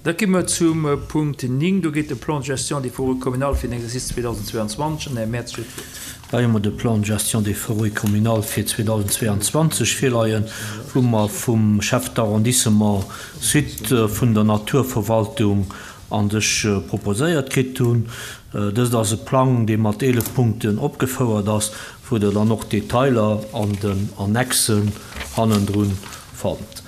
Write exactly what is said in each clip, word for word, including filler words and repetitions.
Da gi mer zum Punkt néng, do geet de Plan de gestion des forêts communales fir den Exercice zweedausendzweianzwanzeg an den Här Mertz huet d'Wuert. Hei hu mer de Plan de gestion des forêts communales fir zweedausendzweianzwanzeg virleien, wou mer vum Chef d'arrondissement Sud vun der Naturverwaltung an sech proposéiert kritt hunn. Dëst ass e Plang, dee mat eelef Punkten opgefouert ass, wou Der dann och d'Detailer an den Annexen hannendrun fannt.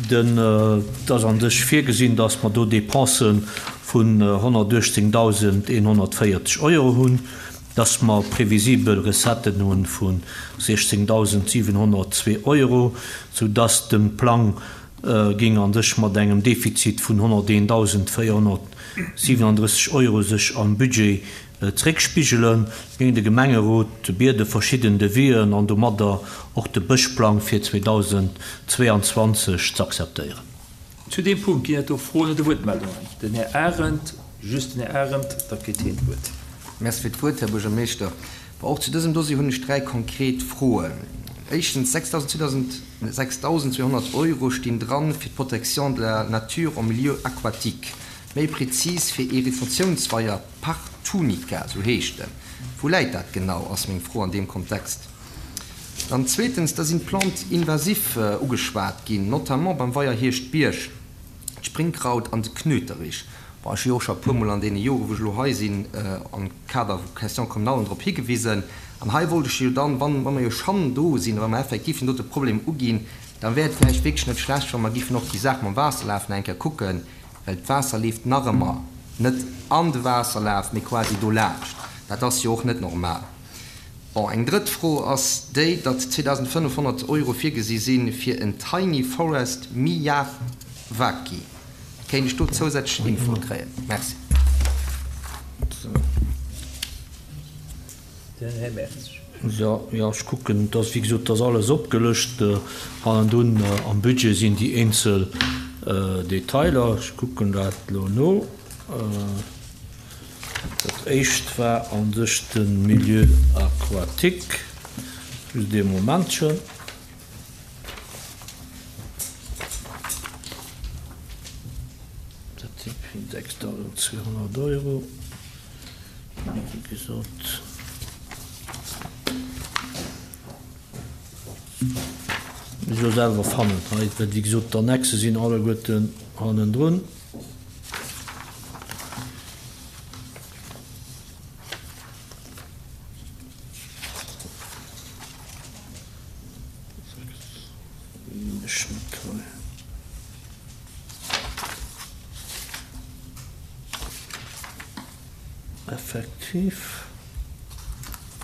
Den, et ass an sech virgesinn, dass mer do Dépensen vun honnertuechtzéngdausendeenhonnertvéierzeg Euro hunn, dass mer previsibel Recetten hu vu siechzéngdausendsiwenhonnertzwee Euro, soudass de Plang géing an sech mat engem Defizit vun honnerteendausendvéierhonnertsiwenunddrësseg Euro sech am Budget zréckspigelen. Géing de Gemengerot biede verschidden Devis'en an domadder och de Bëschplang fir zweedausendzweianzwanzeg z'akzeptéieren. Zu deem Punkt ginn et do Froen oder Wuertmeldungen. Den Här Arendt, just den Här Arendt, da kritt hien d'Wuert. Merci fir d'Wuert, Här Buergermeeschter. Bon, och zu dësem Dossier hunn ech dräi konkret Froen. Éischtens, sechstausendzweehonnert Euro stinn dran fir d'Protection de la nature en milieu aquatique, méi prezis fir ee Retentiounsweier Partunica, sou heescht en. Wou läit dat genau, ass meng Fro an deem Kontext. Dann zweetens, da sinn d'Plantes invasives ugeschwat ginn, notamment beim Weier Hierschtbierg, d'Springkraut an de Knöterich. Bon, ech hu jo och scho e puermol an deene Joren, wou ech elo hei sinn, am Kader vu Questions communalen drop higewisen. An hei wollt ech jo dann, wann, wa mer jo schonn do sinn, wa mer effektiv deen dote Problem uginn, da wär et vläicht wierklech net schlecht, wa mer giffen och déi Saach mam Waasserlaf nach eng Kéier kucken, well d'Waasser leeft nach ëmmer net an de Waasserlaf, mee quasi dolaanscht. Dat ass jo och net normal. Bon, eng drëtt Fro ass déi, datt zweedausendfënnefhonnert Euro virgesi si fir en Tiny Forest Miyawaki. Kéint ech do zousätzlech Infoe kréien? Merci. Den Här Mertz. Jo, jo, ech kucken, et ass, wéi gesot, et ass alles opgelëscht. Hannendrun am Budget sinn déi eenzel Detailer. Ech kucken dat elo no. Dat éischt war a sech de Milieu aquatique. Just ee Momentchen. Dat si sechstausendzweehonnert Euro, wéi gesot. Muss ech elo selwer fannen hei, well wéi gesot d'Annexe sinn alleguerten hannendrun. Ech net hei. Effektiv.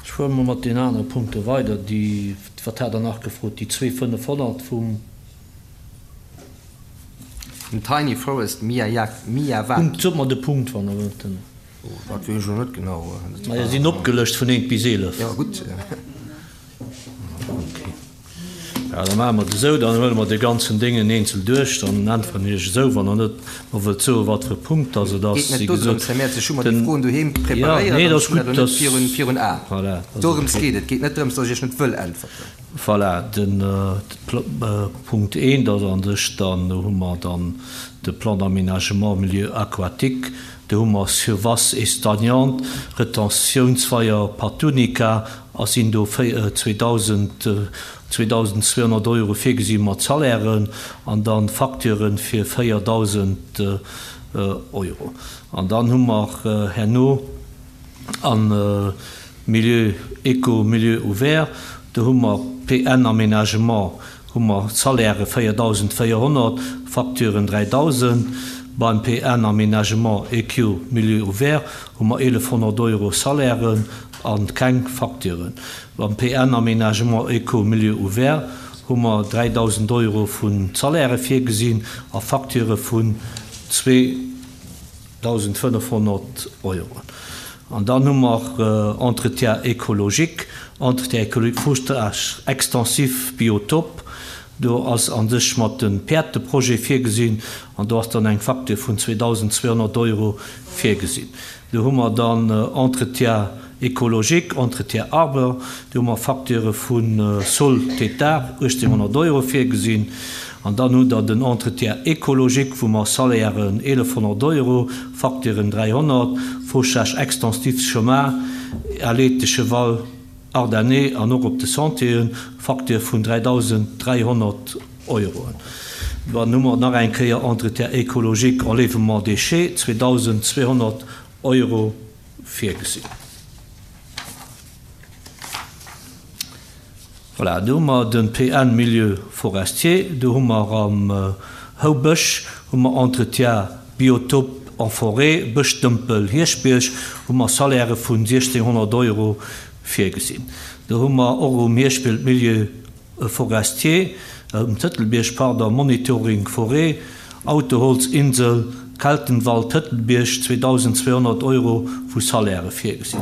Ech fuere mol mat deenen anere Punkte weider, déi, wat hat Der nach gefrot, déi zwee fënnefhonnert vum. Dem Tiny Forest Miyawaki. Punkt, sot mer de Punkt, wann Der wëllt. Den. Oh, dat weess ech elo net genau. Majo, se sinn opgelëscht vun eent bis eelef. Jo, gutt. Ok. Jo, da maache mer et esou, dann huele mer de ganzen Déngen eenzel duerch, dann äntweren ech Iech esou, wann Der net mer wëllt soen, wat fir e Punkt dass et ass. Geet net Wéi dodrëms, gesot, Här Mertz, ech hu mer déi den. Froen doheem Jo, preparéiert nee, an dat ass ech hunn dat gutt, elo net dass. virun, virun Aen. Voilà, dat ass Dorëms ok. geet et. Et geet net drëms, dass ech Iech net wëll äntwerten. Voilà, den Punkt eent ass an sech dann, do hu mer dann de Plan d'aménagement milieu aquatique, do hu mer Surfaces et stagnantes, Retentiounsweier Patunica, a sinn do zweetausendzweehonnert Euro virgesi mat Salairen an dann Facturen fir véierdausend Euro. An dann hu mer herno am Milieu éco, Milieu ouvert, do hu mer P N Aménagement, hu mer Salaire véierdausendvéierhonnert, Facturen dräidausend. Beim P N Aménagement E Q Milieu ouvert hu mer eelefhonnert Euro Salairen an keng Facturen. Beim P N Aménagement Éco Milieu ouvert hu mer dräidausend Euro vun Salaire virgesinn a Facture vun zweedausendfënnefhonnert Euro. An dann hu mer Entretien écologique, Entretien écologique, Foustrage extensif Biotop. Do ass an sech mat dem Päerd de Projet virgesinn an do ass dann eng Facture vun zweetausendzweehonnert Euro virgesinn. Do hu mer dann Entretien écologique, Entretien arbre, do hu mer Facture vu Sol Tétard uechtzénghonnert Euro virgesinn An dann hutt Der den Entretien écologique, wou mer Salairen eelefhonnert Euro, Facturen dräihonnert, Fauchage extensif chemin, Allée de Cheval Ardennais an och op de Sentieren, Facture vun dräidausend dräihonnert Euroen. Dann hu mer nach eng Kéier Entretien écologique, Enlèvement déchets, zweedausend zweehonnert Euro virgesinn. Voilà, do hu mer de P N Milieu forestier, do hu mer am Houbësch hu mer Entretien biotope en forêt, Bëschdëmpel Hierschbierg, hu mer Salairë vun siechzénhonnert Euro virgesinn. Do hu mer och um Hierschbiel Milieu forestier, um Tëtelbierg, pardon, Monitoring forêt, Autoholzinsel, Keltenwald, Tëtelbierg, zweedausend zweehonnert Euro vu Salairë virgesinn.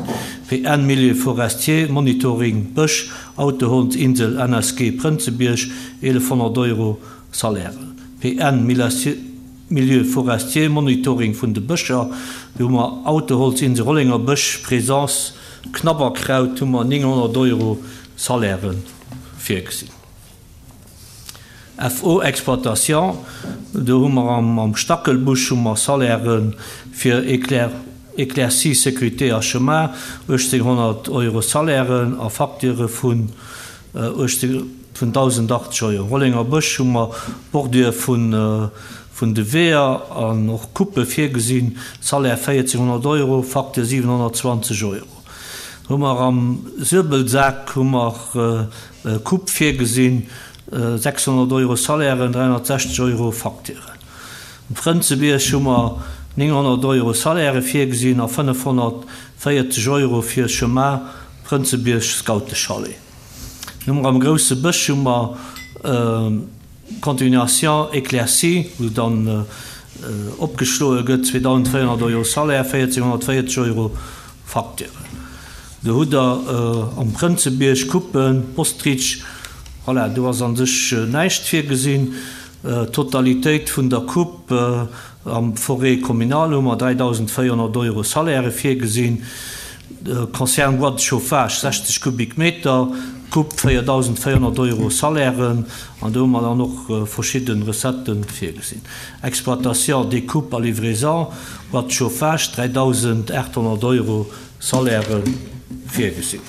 P N Milieu forestier, Monitoring Bësch, Autoholzinsel, N S G Prënzebierg, eelefhonnert Euro Salairë. P N Milieu forestier, Monitoring vun de Bëscher, do hu mer Autoholzinsel, Rollenger Bësch, Présence Knabberkraut, hu mer nénghonnert Euro Salairë virgesinn. F O Exploitation, do hu mer am Stackelbusch hu mer Salairë fir Éclaircie, Sécurité a Chemin, uechtzénhonnert Euro Salairen a Facture vun dausendachtzeg Euro. Rollenger Bësch hu mer Bordure vun de Weeër an och Coupe virgesinn, Salaire véierzénhonnert Euro, Facture siwenhonnertzwanzeg Euro. Hu mer am Suebelsak hu mer Coupe virgesinn, sechshonnert Euro Salairen, dräihonnertsechzeg Euro Facturen. Um Prënzebierg hu mer nénghonnert Euro Salairë virgesinn a fënnefhonnertvéierzeg Euro fir Chemin Prënzebierg Scoutechalet. Hu mer am Grousse Bësch hu mer Continuation éclaircie, wou dann opgeschloe gëtt, zweedausendvéierhonnert Euro Salaire, véierzénhonnertvéierzeg Euro Facturen. Do hutt Der am Prënzebierg Coupen, Ostrich, voilà, do ass an sech näischt virgesinn. D'Totalitéit vun der Coupe am Forêt communale hu mer dräidausendvéierhonnert Euro Salairë virgesinn. Concerne bois de chauffage, sechzeg Kubikmeter, Coupe véierdausendvéierhonnert Euro Salairen an do hu mer dann och verschidde Recetten virgesinn. Exploitation, découpe a livraison, bois de chauffage, dräidausendaathonnert Euro Salairë virgesinn.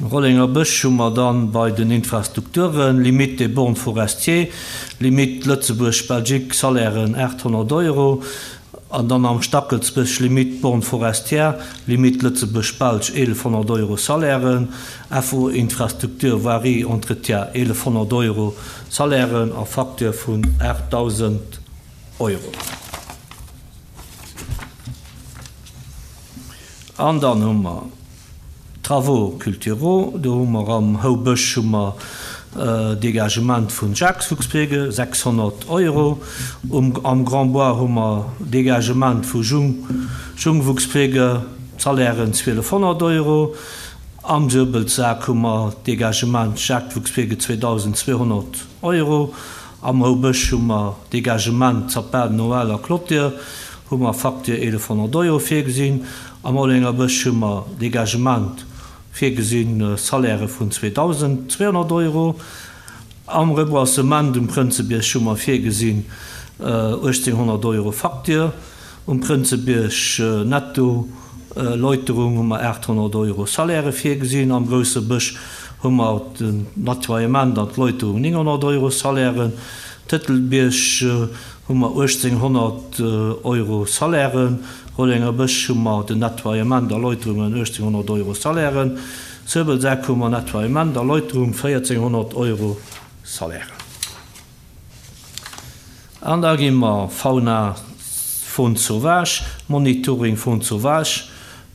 Rollenger Bësch hu mer dann bei den Infrastrukturen, Limite des bornes forestiers, Limite Lëtzebuerg-Belgique, Salairen aathonnert Euro, an dann am Stackelsbësch Limite borne forestière, Limite Lëtzebuerg-Belge eelefhonnert Euro Salairen, F O Infrastructure voirie entretien eelefhonnert Euro Salairen a Facture vun aachtdausend Euro. An dann hu mer Travaux culturaux, do hu mer am Houbësch hu mer Dégagement vun Jagdfuchspflege, sechshonnert Euro. Um, am Grand Bois hu mer Dégagement vu Jung, Jungwuchspflege, Salairen zwielefhonnert Euro. Am Suebelsak hu mer Dégagement Jagdfuchspflege zweedausendzweehonnert Euro. Am Houbësch hu mer Dégagement Sapin Noël a Clôture, hu mer Facture eelefhonnert Euro virgesinn. Am Rollenger Bësch hu mer Dégagement virgesinn, Salairë vun zweedausendzweehonnert Euro. Am Reboisement um Prënzebierg hu mer virgesinn uechtzénhonnert Euro Facture. Um Prënzebierg netto Läuterung hu mer aathonnert Euro Salairë virgesinn. Am Grousse Bësch hu mer den Nettoiement an d'Läuterung nénghonnert Euro Salairen. Tëtelbierg hu mer uechtzénhonnert Euro Salairen. Rollenger Bësch hu mer den Nettoiement a Läuterungen uechtzénhonnert Euro Salairen. Suebelsak hu mer Nettoiement a Läuterung véierzénhonnert Euro Salairen. An da gi mer Fauna Faune sauvage, Monitoring Faune sauvage,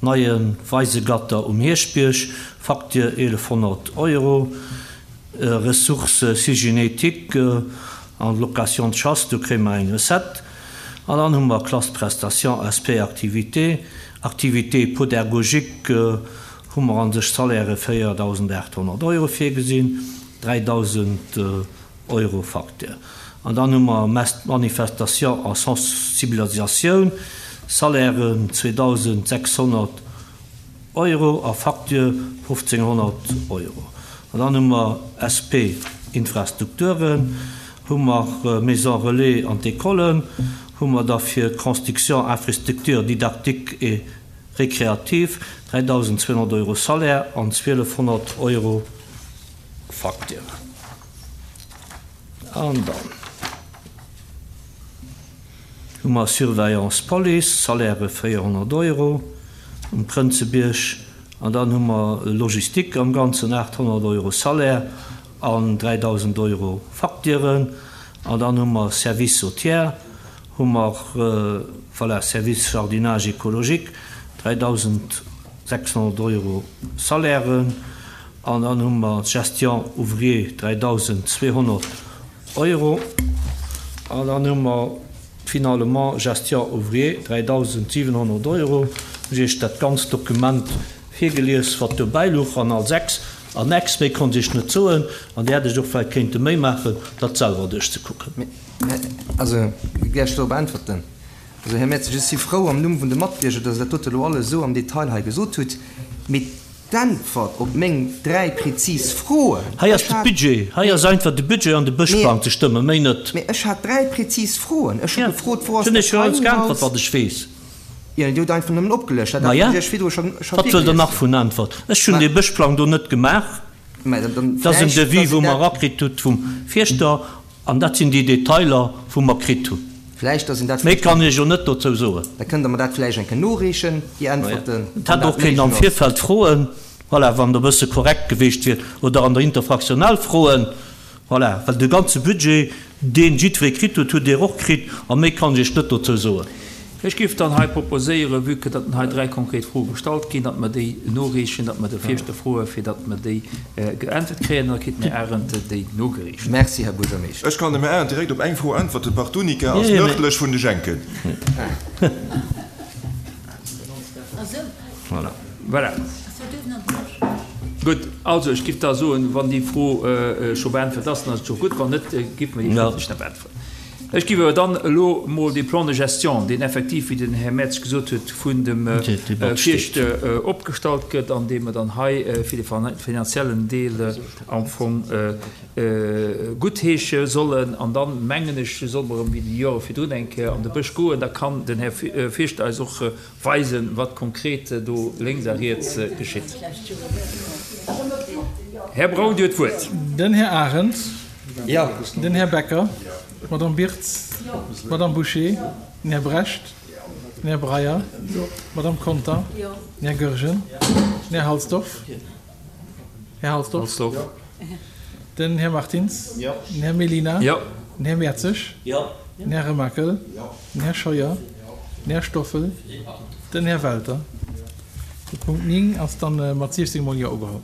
neie Weisegatter um Hierschbierg, Facture eelefhonnert Euro, Ressources cygénétiques an Location de chasse, do kréie mer eng Recette. An dann hu mer Classe Prestation S P Activité, Activité pédagogique hu mer an sech Salairë véierdausendaathonnert Euro virgesinn, dräidausend Euro Facture. An dann hu mer Manifestation a Sensibilisatioun, Salairen zweedausendsechshonnert Euro a Facture fofzénhonnert Euro. An dann hu mer S P Infrastrukturen, hu mer Maison relais an d'Ecolen, hu mer da fir Construction, infrastructure didactique et récréative dräidausend zweehonnert Euro Salaire an zwielefhonnert Euro Facture. An dann hu mer Surveillance Police, Salaire véierhonnert Euro um Prënzebierg, an dann hu mer Logistik am Ganzen aathonnert Euro Salaire an dräidausend Euro Facturen, an dann hu mer Service au tiers, hu mer, voilà, Service jardinage écologique, dräidausend sechshonnert Euro Salairen, an dann hu mer Gestion ouvrier dräidausend zweehonnert Euro, an dann hu mer finalement Gestion ouvrier dräidausend siwenhonnert Euro. Ech Iech dat ganzt Dokument virgelies, wat dobäi louch an all sechs Annex. Méi konnt ech net soen an Dir hätt Iech och vläicht kéinte Méi maachen, dat selwer duerchzekucken. Mee, also, gär ech dorop äntwerten. Also, Här Mertzig, ech si frou am Numm vun de Matbierger, dass Der dat dote elo alles esou am Detail hei gesot hutt. Mee d'Äntwert op meng dräi prezis Froen, Hei ass ech de hat, Budget, hei mee, ass einfach de Budget an de mee, Bëschplang ze stëmmen, méi net. mee ech hat dräi prezis Froen. Ech hu Jo, gefrot, Wou ech ass hunn dat Iech jo alles Tiny geäntwert, House? wat ech weess. Jo, Dir hutt einfach nëmmen opgelëscht. Dat Ma hat ja, ech Iech virdru scho, scho wat wëllt Der virgelies. nach vun Äntwert? Ech hunn Mä, dee Bëschplang do net gemaach. mä dann, dann Dat ass en vläicht, Devis, dass wou een mer dat, erakritt hutt vum Fierschter, an dat sinn déi Detailer, wou mer kritt hunn. vläicht, dass een dat Méi vläicht kann dann, ech jo net dozou soen. da kënnt Der mer dat vläicht eng Kéier noreechen, déi Ma ja. Äntwerten, Et wann hätt och dat kéint am méiglech ass. Virfeld froen, voilà, wann Der e bësse korrekt gewiescht wiert, oder an der Interfraktionell froen, voilà, well de ganze Budget, deen jiddweree kritt huet, hutt Dir och kritt, a méi kann ech Iech net dozou soen. Ech géif dann hei proposéieren, vue que datt hei dräi konkret Froe gestallt ginn, datt mer déi noreechen, datt mer de Fierschter froe fir datt mer déi geäntwert kréien, an da kritt den Här Arendt déi nogereecht. Merci, Här Buergermeeschter. Ech kann dem Här Arendt direkt op eng Fro äntwerten, Partunica ass Jo, jo, nërdlech vun de Schenken. Voilà. Voilà. Gutt, also ech géif da soen, wann déi Fro scho beäntwert ass, dann ass et scho gutt, wann net, géife mer déi Ja. schrëftlech nach beäntweren. Ech géif awer dann elo mol dee Plan de gestion, deen effektiv, wéi den Här Merz gesot huet, vun dem Déi Debatt steet. Fierschter opgestallt gëtt an dee mer dann hei fir de finanziellen Deel am Fong guttheesche sollen. An dann, mengen ech, solle mer erëm wéi déi Jore virdrun eng Kéier an de Bësch goen. Da kann den Här Fierschter eis och weisen, wat konkret do lénks a riets geschitt. Här Braun, Dir hutt d'Wuert. Den Här Arendt. Jo. Den Här Becker. D'Madame Birtz. D'Madame Bouché. Den Här Brecht. Den Här Breyer. D'Madame Conter. Den Här Goergen. Den Här Halsdorf. Här Halsdorf. Halsdorf. Den Här Martins. Den Här Mellina. Jo. Den Här Mertzig. Den Här Remakel. Den Här Scheuer. Den Här Stoffel. Den Här Welter. De Punkt néng ass dann mat siechzéng mol Jo ugeholl.